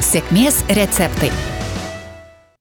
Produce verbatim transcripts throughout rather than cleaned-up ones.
Sėkmės receptai.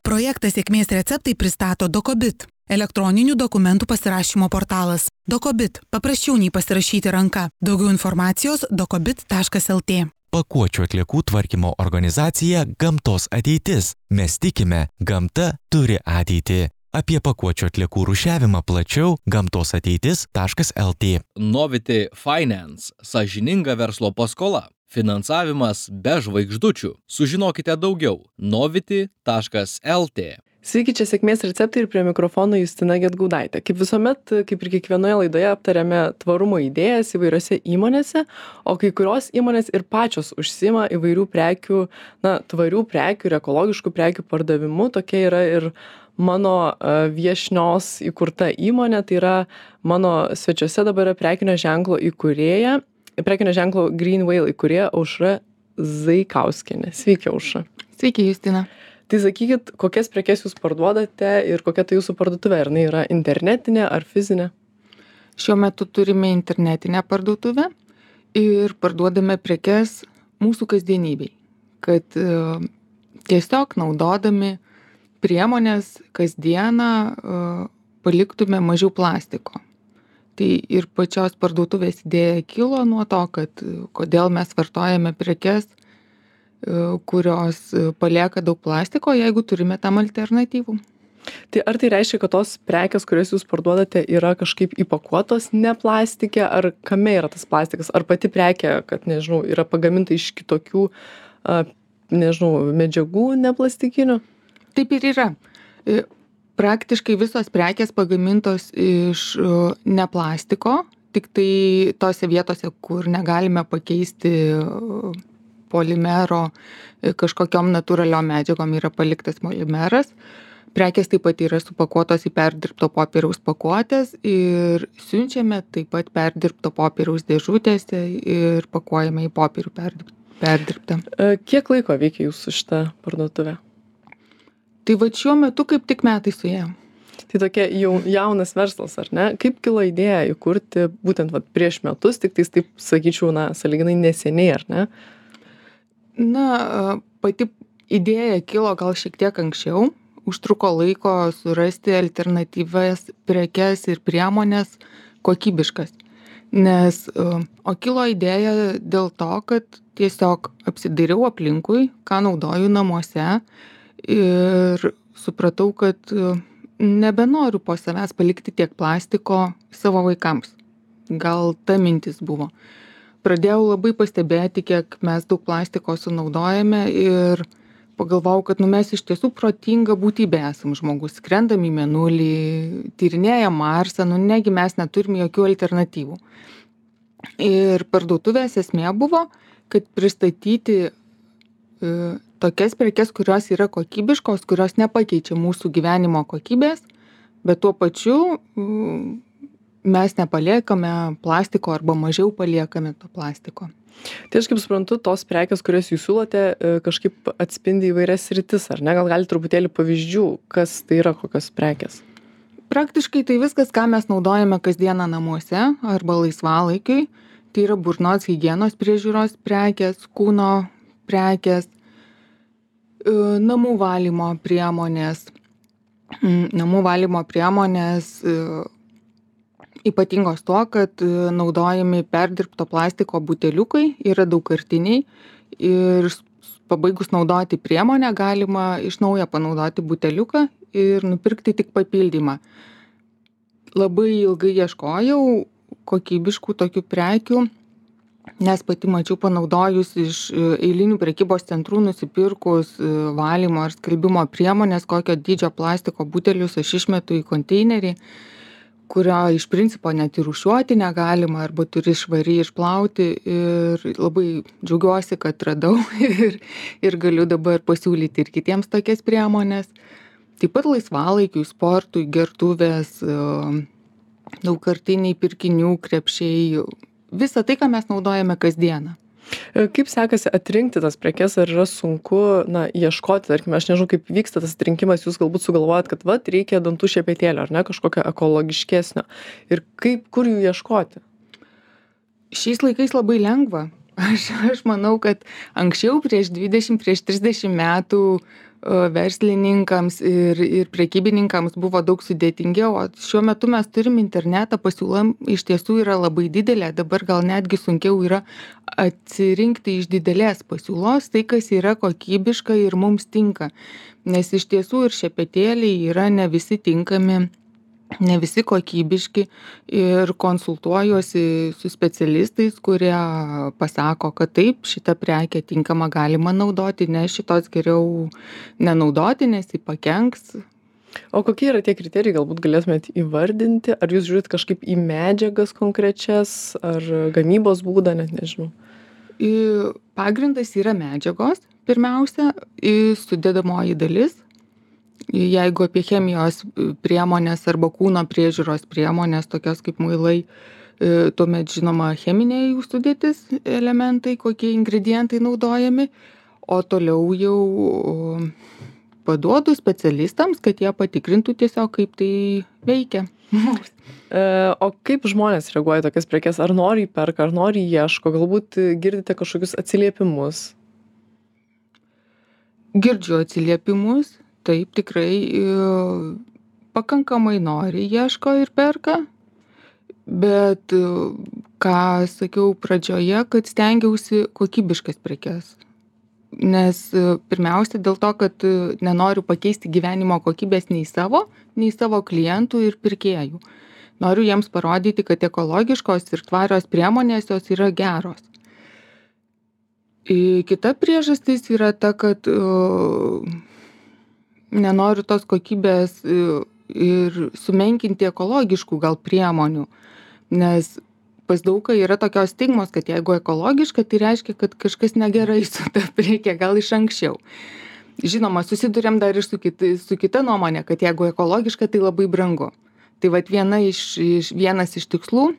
Projektą Sėkmės receptai pristato Dokobit, elektroninių dokumentų pasirašymo portalas. Dokobit – paprasčiau nei pasirašyti ranka. Daugiau informacijos dokobit taškas el tė. Pakuočių atliekų tvarkymo organizacija Gamtos ateitis. Mes tikime, gamta turi ateitį. Apie pakuočių atliekų rūšiavimą plačiau gamtos ateitis taškas el tė. Novity Finance – sąžininga verslo paskola. Finansavimas be žvaigždučių. Sužinokite daugiau. novity taškas el tė. Sveiki, čia Sėkmės receptai ir prie mikrofono Justina Gedgaudaitė. Kaip visuomet, kaip ir kiekvienoje laidoje aptariame tvarumo idėjas įvairiose įmonėse, o kai kurios įmonės ir pačios užsiima įvairių prekių, na, tvarių prekių ir ekologiškų prekių pardavimu. Tokia yra ir mano viešnios įkurta įmonė, tai yra mano svečiuose dabar yra prekinio ženklo įkūrėja, prekinio ženklo Green Whale įkūrėja Aušra Zaikauskienė. Sveiki, Aušra. Sveiki, Justina. Tai sakykit, kokias prekes jūs parduodate ir kokia tai jūsų parduotuvė? Ar jinai yra internetinė ar fizinė? Šiuo metu turime internetinę parduotuvę ir parduodame prekes mūsų kasdienybei, kad uh, tiesiog naudodami priemonės kasdieną uh, paliktume mažiau plastiko. Tai ir pačios parduotuvės idėja kilo nuo to, kad uh, kodėl mes vartojame prekes, kurios palieka daug plastiko, jeigu turime tam alternatyvų. Tai ar tai reiškia, kad tos prekės, kurias jūs parduodate, yra kažkaip įpakuotos ne plastike, ar kame yra tas plastikas? Ar pati prekė, kad, nežinau, yra pagaminta iš kitokių, nežinau, medžiagų neplastikinių? Taip ir yra. Praktiškai visos prekės pagamintos iš ne plastiko, tik tai tose vietose, kur negalime pakeisti polimero kažkokiom natūraliom medžiagom yra paliktas polimeras. Prekės taip pat yra supakuotos į perdirbto popieriaus pakuotės ir siunčiame taip pat perdirbto popieriaus dėžutėse ir pakuojame į popierių perdirbtą. Kiek laiko veikia jūsų šitą parduotuvę? Tai va šiuo metu kaip tik metai suėjo. Tai tokia jau jaunas verslas, ar ne? Kaip kilo idėja įkurti būtent va, prieš metus, tik tais taip sakyčiau, na, sąlyginai neseniai, ar ne? Na, pati idėja kilo gal šiek tiek anksčiau, užtruko laiko surasti alternatyvas prekes ir priemonės kokybiškas. Nes, o kilo idėja dėl to, kad tiesiog apsidairiau aplinkui, ką naudoju namuose ir supratau, kad nebenoriu po savęs palikti tiek plastiko savo vaikams. Gal ta mintis buvo. Pradėjau labai pastebėti, kiek mes daug plastiko sunaudojame ir pagalvojau, kad nu, mes iš tiesų protinga būtybė esam žmogus. Skrendam į mėnulį, tyrinėjam Marsą, nu negi mes neturime jokių alternatyvų. Ir parduotuvės esmė buvo, kad pristatyti e, tokias prekes, kurios yra kokybiškos, kurios nepakeičia mūsų gyvenimo kokybės, bet tuo pačiu e, mes nepaliekame plastiko arba mažiau paliekame to plastiko. Tai aš kaip suprantu, tos prekės, kurias jūs siūlote, kažkaip atspindi įvairias sritis, ar ne? Gal gali truputėlį pavyzdžių, kas tai yra, kokios prekės? Praktiškai tai viskas, ką mes naudojame kasdieną namuose arba laisvalaikiui. Tai yra burnos higienos priežiūros prekės, kūno prekės, namų valymo priemonės, namų valymo priemonės ypatingos tuo, kad naudojami perdirbto plastiko buteliukai, yra daugkartiniai ir pabaigus naudoti priemonę galima iš naujo panaudoti buteliuką ir nupirkti tik papildymą. Labai ilgai ieškojau kokybiškų tokių prekių, nes pati mačiau panaudojus iš eilinių prekybos centrų nusipirkus valymo ar skalbimo priemonės, kokio dydžio plastiko butelius aš išmetu į konteinerį, kurio iš principo net ir rūšiuoti negalima arba turi švariai išplauti ir labai džiaugiuosi, kad radau ir, ir galiu dabar pasiūlyti ir kitiems tokias priemonės. Taip pat laisvalaikiui, sportui, gertuvės, daugkartiniai pirkinių, krepšiai, visą tai, ką mes naudojame kasdieną. Kaip sekasi atrinkti tas prekes, ar yra sunku, na, ieškoti, tarkime, aš nežinau, kaip vyksta tas atrinkimas, jūs galbūt sugalvojat, kad vat, reikia dantų šepetėlio, ar ne, kažkokio ekologiškesnio. Ir kaip, kur jų ieškoti? Šiais laikais labai lengva. Aš, aš manau, kad anksčiau prieš dvidešimt, prieš trisdešimt metų o, verslininkams ir, ir prekybininkams buvo daug sudėtingiau, o šiuo metu mes turim internetą, pasiūla iš tiesų yra labai didelė, dabar gal netgi sunkiau yra atsirinkti iš didelės pasiūlos tai, kas yra kokybiška ir mums tinka, nes iš tiesų ir šepetėliai yra ne visi tinkami, ne visi kokybiški ir konsultuojuosi su specialistais, kurie pasako, kad taip, šitą prekę tinkamą galima naudoti, ne šitos geriau nenaudoti, nes jį pakenks. O kokie yra tie kriterijai, galbūt galėtumėt įvardinti? Ar jūs žiūrit kažkaip į medžiagas konkrečias, ar gamybos būdą, net nežinau? I, pagrindas yra medžiagos, pirmiausia, į sudedamoji dalis. Jeigu apie chemijos priemonės arba kūno priežiūros priemonės, tokios kaip muilai, tuomet žinoma cheminiai jų sudėtis elementai, kokie ingredientai naudojami, o toliau jau paduodu specialistams, kad jie patikrintų tiesiog, kaip tai veikia. O kaip žmonės reaguoja į tokias prekes? Ar nori įperka, ar nori ieško? Galbūt girdite kažkokius atsiliepimus? Girdžiu atsiliepimus. Taip, tikrai pakankamai nori, ieško ir perka, bet ką sakiau pradžioje, kad stengiausi kokybiškas prekes. Nes pirmiausia dėl to, kad nenoriu pakeisti gyvenimo kokybės nei savo, nei savo klientų ir pirkėjų. Noriu jiems parodyti, kad ekologiškos ir tvarios priemonės jos yra geros. Kita priežastis yra ta, kad nenoriu tos kokybės ir sumenkinti ekologiškų gal priemonių, nes pas daugą yra tokios stigmos, kad jeigu ekologiška, tai reiškia, kad kažkas negerai su ta prekė, gal iš anksčiau. Žinoma, susidurėm dar ir su, kit, su kita nuomonė, kad jeigu ekologiška, tai labai brangu. Tai vat viena iš, iš, vienas iš tikslų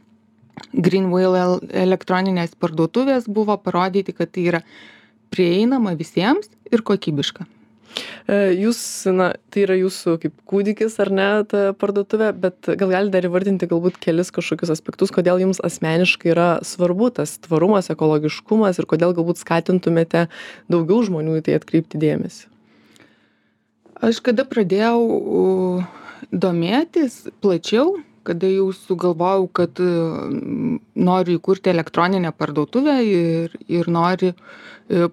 Greenwheel elektroninės parduotuvės buvo parodyti, kad tai yra prieinama visiems ir kokybiška. Jūs, na, tai yra jūsų kaip kūdikis ar ne, ta parduotuvė, bet gal galite dar įvardinti galbūt kelis kažkokius aspektus, kodėl jums asmeniškai yra svarbu tas tvarumas, ekologiškumas ir kodėl galbūt skatintumėte daugiau žmonių į tai atkreipti dėmesį? Aš kada pradėjau domėtis plačiau, kada jau sugalvojau, kad noriu įkurti elektroninę parduotuvę ir, ir noriu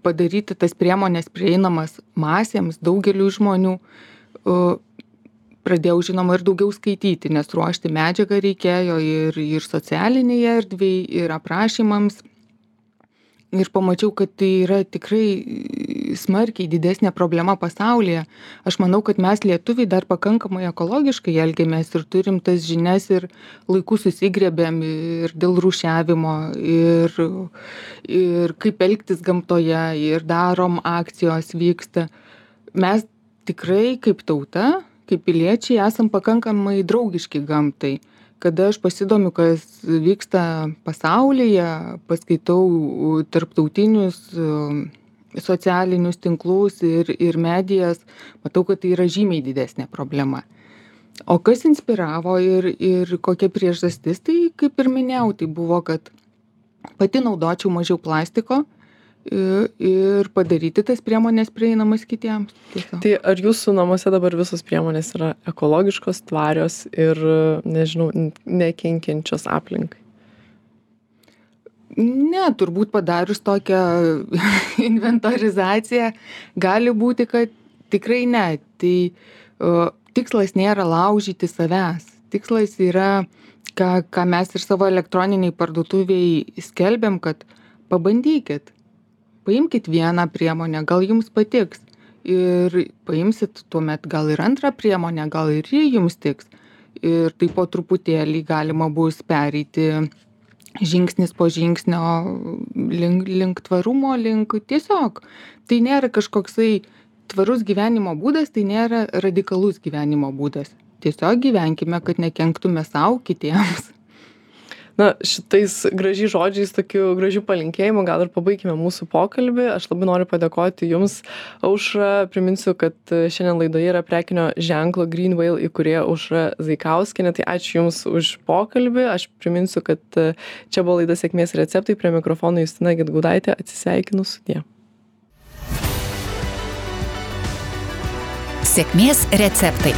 padaryti tas priemonės prieinamas masėms, daugeliu žmonių, pradėjau žinoma ir daugiau skaityti, nes ruošti medžiagą reikėjo ir, ir socialinėje erdvėje, ir aprašymams. Ir pamačiau, kad tai yra tikrai smarkiai didesnė problema pasaulyje. Aš manau, kad mes lietuviai dar pakankamai ekologiškai elgiamės ir turim tas žinias ir laiku susigrėbėm ir dėl rūšiavimo, ir, ir kaip elgtis gamtoje, ir darom akcijos vyksta. Mes tikrai kaip tauta, kaip piliečiai esam pakankamai draugiški gamtai. Kada aš pasidomiu, kas vyksta pasaulyje, paskaitau tarptautinius socialinius tinklus ir, ir medijas, matau, kad tai yra žymiai didesnė problema. O kas inspiravo ir, ir kokia priežastis, tai kaip ir minėjau, tai buvo, kad pati naudočiau mažiau plastiko ir, ir padaryti tas priemonės prieinamas kitiems. Tiesiog. Tai ar jūsų namuose dabar visos priemonės yra ekologiškos, tvarios ir, nežinau, nekenkiančios aplinkai? Ne, turbūt padarius tokią inventorizaciją gali būti, kad tikrai ne. Tai uh, tikslas nėra laužyti savęs. Tikslas yra, ką, ką mes ir savo elektroniniai parduotuviai skelbiam, kad pabandykit. Paimkit vieną priemonę, gal jums patiks. Ir paimsit tuomet gal ir antrą priemonę, gal ir ji jums tiks. Ir taip po truputėlį galima bus pereiti žingsnis po žingsnio link, link tvarumo, link tiesiog. Tai nėra kažkoksai tvarus gyvenimo būdas, tai nėra radikalus gyvenimo būdas. Tiesiog gyvenkime, kad nekenktume savo kitiems. Na, šitais gražiais žodžiais, tokiu gražiu palinkėjimu, gal ir pabaigime mūsų pokalbį. Aš labai noriu padėkoti Jums, Aušra. Priminsiu, kad šiandien laidoje yra prekinio ženklo Green Whale įkūrėja Aušra Zaikauskienė. Tai ačiū Jums už pokalbį. Aš priminsiu, kad čia buvo laida Sėkmės receptai. Prie mikrofono Justina Gedgaudaitė. Atsisveikinu sudie. Sėkmės receptai.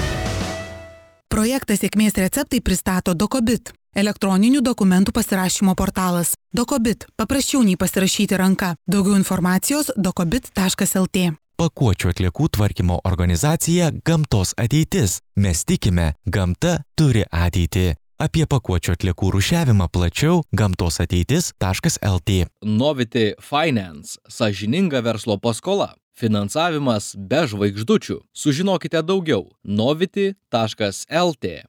Projektą Sėkmės receptai pristato Dokobit, elektroninių dokumentų pasirašymo portalas. Dokobit – paprasčiau nei pasirašyti ranka. Daugiau informacijos dokobit taškas lt. Pakuočių atliekų tvarkymo organizacija Gamtos ateitis. Mes tikime, gamta turi ateitį. Apie pakuočių atliekų rūšiavimą plačiau gamtos ateitis taškas lt. Novity Finance – sąžininga verslo paskola. Finansavimas be žvaigždučių. Sužinokite daugiau novity taškas lt.